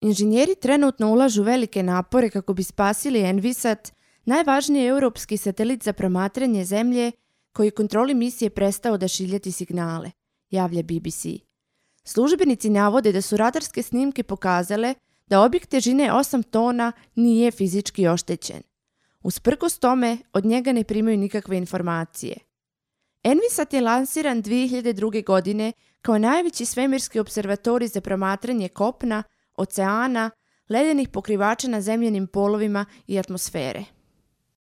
Inženjeri trenutno ulažu velike napore kako bi spasili Envisat, najvažniji europski satelit za promatranje Zemlje koji kontroli misije prestao odašiljati signale, javlja BBC. Službenici navode da su radarske snimke pokazale da objekt težine 8 tona nije fizički oštećen. Usprkos tome, od njega ne primaju nikakve informacije. Envisat je lansiran 2002. godine kao najveći svemirski observatorij za promatranje kopna, oceana, ledenih pokrivača na zemljanim polovima i atmosfere.